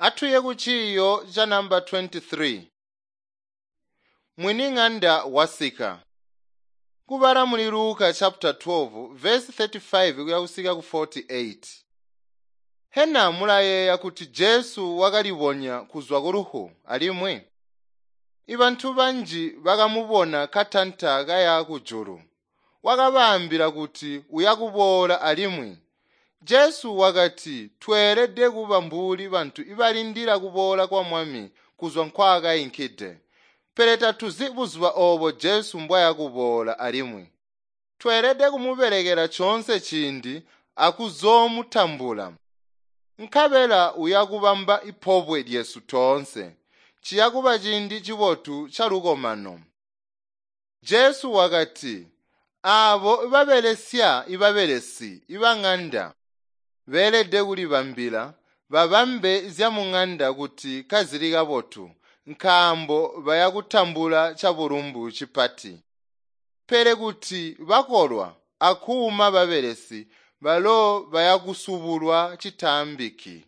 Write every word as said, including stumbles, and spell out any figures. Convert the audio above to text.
Atuye ku ciiyo ca namba twenty-three. Mwini-ng'anda wasika. Kubala muli Luka chapter twelve verse thirty-five kuya kusika ku forty-eight. Hena mulayeeya kuti Jesu wakalibonya kuzwa ku lufu alimwi? Ibantu banji bakamubona katanta kaya kujulu. Wakabaambila kuti uyakuboola alimwi. Jesu wakati tweelede kuba mbuli bantu ibalindila kuboola kwa Mwami kuzwa nkwaakainkide. Pele tatuzi buzuba oobo Jesu mbwayakuboola alimwi. Tweelede kumubelekela coonse ciindi akuzoomutambula. Nkabela uyakubamba ipobwe lyesu toonse. Ciyakuba ciindi cibotu calukomano. Jesu wakati, aabo babelesya ibabelesi ibang'anda beelede kulibambila babambe zyamung'anda kuti kazili kabotu, nkaambo bayakutambula cabulumbu cipati. Pele kuti bakolwa akuuma babelesi, balo bayakusubulwa citaambiki.